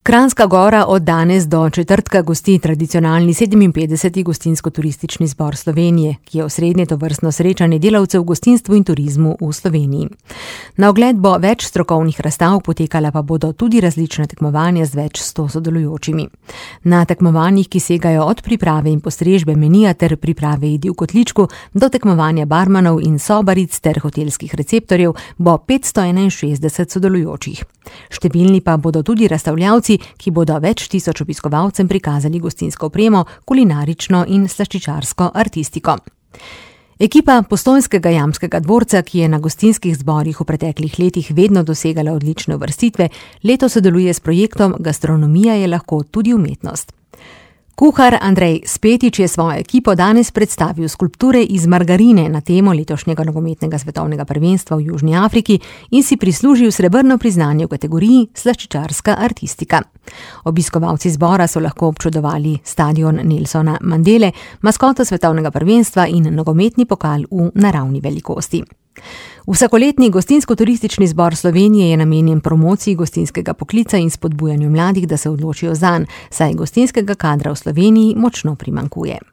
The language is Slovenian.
Kranjska Gora od danes do četrtka gosti tradicionalni 57. gostinsko-turistični zbor Slovenije, ki je osrednje tovrstno srečanje delavcev v gostinstvu in turizmu v Sloveniji. Na ogled bo več strokovnih razstav, potekala pa bodo tudi različna tekmovanja z več 100 sodelujočimi. Na tekmovanjih, ki segajo od priprave in postrežbe menija ter priprave jedi v kotličku do tekmovanja barmanov in sobaric ter hotelskih receptorjev, bo 561 sodelujočih. Številni pa bodo tudi razstavljavci, ki bodo več tisoč obiskovalcem prikazali gostinsko opremo, kulinarično in slaščičarsko artistiko. Ekipa Postojnskega jamskega dvorca, ki je na gostinskih zborih v preteklih letih vedno dosegala odlične uvrstitve, letos sodeluje s projektom Gastronomija je lahko tudi umetnost. Kuhar Andrej Spetič je svojo ekipo danes predstavil skulpture iz margarine na temo letošnjega nogometnega svetovnega prvenstva v Južni Afriki in si prislužil srebrno priznanje v kategoriji slaščičarska artistika. Obiskovalci zbora so lahko občudovali stadion Nelsona Mandele, maskoto svetovnega prvenstva in nogometni pokal v naravni velikosti. Vsakoletni gostinsko-turistični zbor Slovenije je namenjen promociji gostinskega poklica in spodbujanju mladih, da se odločijo zanj, saj gostinskega kadra v Sloveniji močno primanjkuje.